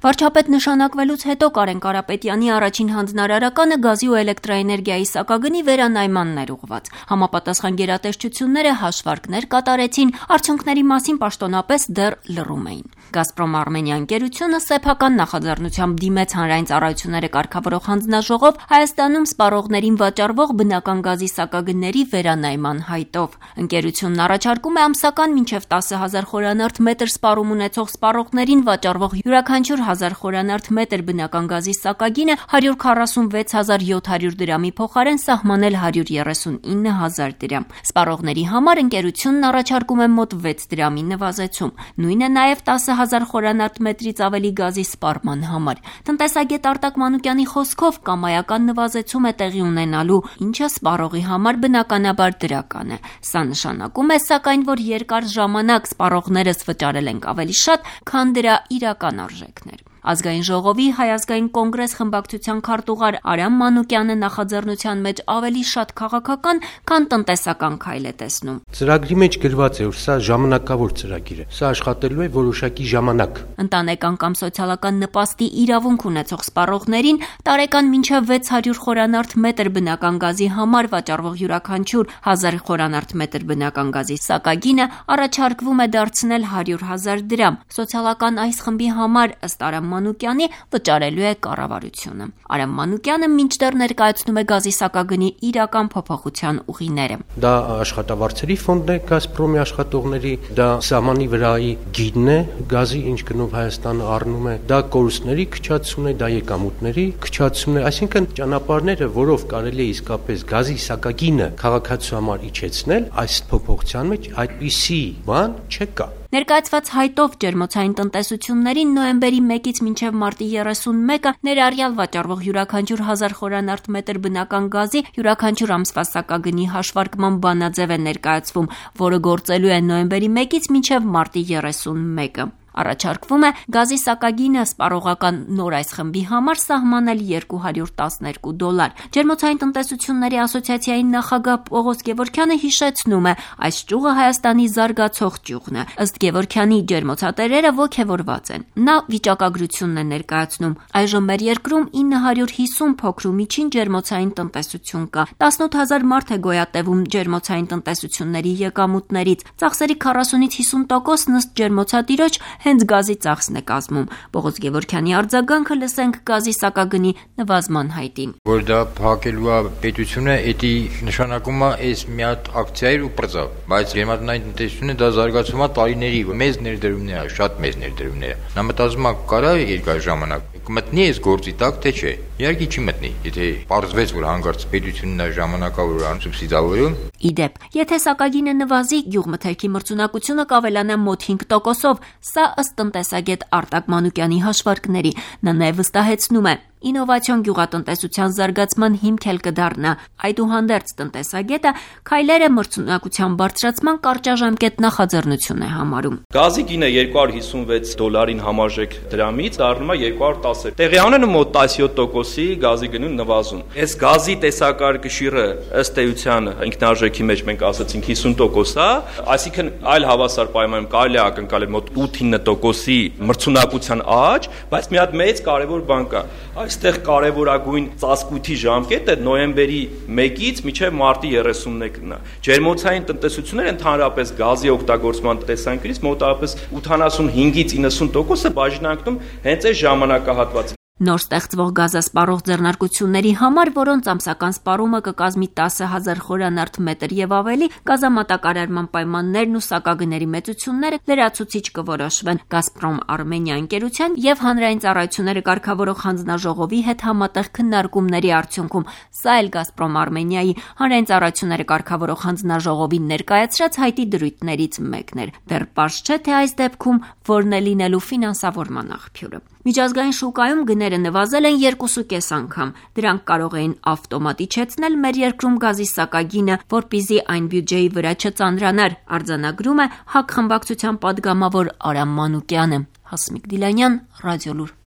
Վարչապետ նշանակվելուց հետո Կարեն Կարապետյանի առաջին հանձնարարականը գազի ու էլեկտրաէներգիայի սակագնի վերանայմանն էր ուղղված։ Համապատասխան գերատեսչությունները հաշվարկներ կատարեցին, արդյունքների մասին պաշտոնապես դեռ լռում էին։ Գազպրոմ Արմենիա ընկերությունը սեփական նախաձեռնությամբ դիմեց հանրային ծառայությունները կարգավորող հանձնաժողով Հայաստանում սպառողներին վաճառվող բնական գազի սակագների վերանայման հայտով։ Ընկերությունն առաջարկում է ամսական մինչև 10,000 խորանարդ մետր սպառում ունեցող սպառողներին վաճառվող յուրաքանչյուր 1000 խորանարդ մետր բնական գազի սակագինը 146,700 դրամի փոխարեն սահմանել 139,000 դրամ։ Սպառողների համար ընկերությունն առաջարկում է մոտ 6 դրամի նվազեցում։ Նույնը նաև 10,000 խորանարդ մետրից ավելի գազի սպառման համար։ Տնտեսագետ Արտակ Մանուկյանի խոսքով կամայական նվազեցում է տեղի ունենալու, ինչը սպառողի համար բնականաբար դրական է։ Սա նշանակում է, սակայն, որ երկար ժամանակ սպառողներս վճարել ենք ավելի շատ, քան դրա իրական արժեքն էր։ Ազգային ժողովի Հայ ազգային կոնգրես խմբակցության քարտուղար Արամ Մանուկյանը նախաձեռնության մեջ ավելի շատ քաղաքական, քան տնտեսական քայլ է տեսնում։ Ծրագրի մեջ գրված է, որ սա ժամանակավոր ծրագիր է։ Սա աշխատելու է որոշակի ժամանակ։ Ընտանեկան կամ սոցիալական նպաստի իրավունք ունեցող սպառողներին տարեկան մինչև 600 խորանարդ մետր բնական գազի համար վաճառվող յուրաքանչյուր 1000 խորանարդ մետր բնական գազի սակագինը առաջարկվում է դարձնել 100,000 դրամ։ Սոցիալական այս խմբի համար ըստ Արամ Մանուկյանի վճարելու է կառավարությունը։ Արամ Մանուկյանը մինչդեռ ներկայացնում է գազի սակագնի իրական փոփոխության ուղիները։ Դա աշխատավարձերի ֆոնդն է Գազպրոմի աշխատողների, դա սահմանի վրայի գիդն է գազի, ինչ գնով Հայաստանը առնում է, դա կորուստների քչացումն է, դա եկամուտների քչացումն է, այսինքն ճանապարհները, որով կարելի է իսկապես գազի սակագինը քաղաքացու համար իջեցնել, այս փոփոխության մեջ այդպիսի բան չկա։ Ներկայացված հայտով ջերմոցային տնտեսություններին նոյեմբերի 1-ից մինչև մարտի 31-ը ներառյալ վաճառվող յուրաքանչյուր 1000 խորանարդ մետր բնական գազի յուրաքանչյուր ամսվա սակագնի հաշվարկման բանաձև է ներկայացվում, որը գործելու է նոյեմբերի 1-ից մինչև մարտի 31-ը։ Առաջարկվում է գազի սակագինը սպառողական նոր այս խմբի համար սահմանել $212։ Ջերմոցային տնտեսությունների ասոցիացիայի նախագահ Պողոս Գևորգյանը հիշեցնում է, այս ճյուղը Հայաստանի զարգացող ճյուղն է։ Ըստ Գևորգյանի ջերմոցատերերը ոգևորված են։ Նա վիճակագրությունն է ներկայացնում։ Այժմ մեր երկրում 950 փոքր ու միջին ջերմոցային տնտեսություն կա։ 18,000 մարդ է գոյատևում ջերմոցային տնտեսությունների եկամուտներից։ Ծախսերի 40-ից 50% ըստ ջերմոցատիրոջ հենց գազի ծախսն է կազմում։ Պողոս Գևորգյանի արձագանքը լսենք գազի սակագնի նվազման հայտին։ Որ դա փակելու է պետությունը, դա նշանակում է այս մի հատ ակցիայր ու պրծավ, բայց ջերմատնային տնտեսությունը դա զարգացում է տարիների, մեծ ներդրումներ է, շատ մեծ ներդրումներ է։ Նա մտածում է կարա երկար ժամանակ կմտնի այս գործի տակ, թե չէ։ Իհարկե չի մտնի, եթե պարզվեց, որ հանկարծ պետությունն է ժամանակավոր սուբսիդավորում։ Իդեպ, եթե սակագինը նվազի, գյուղմթերքի մրցունակությունը կավելանա մոտ 5%-ով, սա ըստ տնտեսագետ Արտակ Մանուկյանի հաշվարկների։ Նա նաև վստահեցնում է, ինովացիոն գյուղատնտեսության զարգացման հիմք էլ կդառնա։ Այդուհանդերձ տնտեսագետը քայլերը մրցունակության բարձրացման կարճաժամկետ նախաձեռնություն է համարում։ Գազի գինը $256 համարժեք դրամից դառնում է 210։ Տեղյականում մոտ 17%-ի գազի գնու նվազում։ Այս գազի տեսակարգշիռը ըստ էության ինքնարժեքի մեջ մենք ասացինք 50% է, այսինքն այլ հավասար պայմաններում կարելի է ակնկալել մոտ 8-9%-ի մրցունակության աճ, բայց մի հատ մեծ կարևոր բան կա։ Այստեղ կարևորագույն ծածկույթի ժամկետը նոյեմբերի 1-ից մինչև մարտի 31-ն է։ Ջերմոցային տնտեսությունները ընդհանրապես գազի օգտագործման տեսանկյունից մոտավորապես 85-ից 90% բաժանարկում հենց այս ժամանակահատվածը։ Նոր ստեղծվող գազասպառող ձեռնարկությունների համար, որոնց ամսական սպառումը կկազմի 10,000 խորանարդ մետր եւ ավելի, գազամատակարարման պայմաններն ու սակագների մեծությունները լրացուցիչ կորոշվեն Գազպրոմ Արմենիա ընկերության եւ հանրային ծառայությունները կարգավորող հանձնաժողովի հետ համատեղ քննարկումների արդյունքում։ Սա էլ Գազպրոմ Արմենիայի հանրային ծառայությունները կարգավորող հանձնաժողովի ներկայացրած հայտի դրույթներից մեկն էր։ Դեռ պարզ չէ, թե այս դեպքում որն է լինելու ֆինանսավորման աղբյուրը։ Միջազգային շուկայում գները նվազել են 2.5 անգամ։ Դրանք կարող էին ավտոմատ իջեցնել մեր երկրում գազի սակագինը, որպեսզի այն բյուջեի վրա չծանրանար, արձանագրում է ՀԱԿ խմբակցության պատգամավոր Արամ Մանուկյանը։ Հասմիկ Դիլանյան, Ռադիոլուր։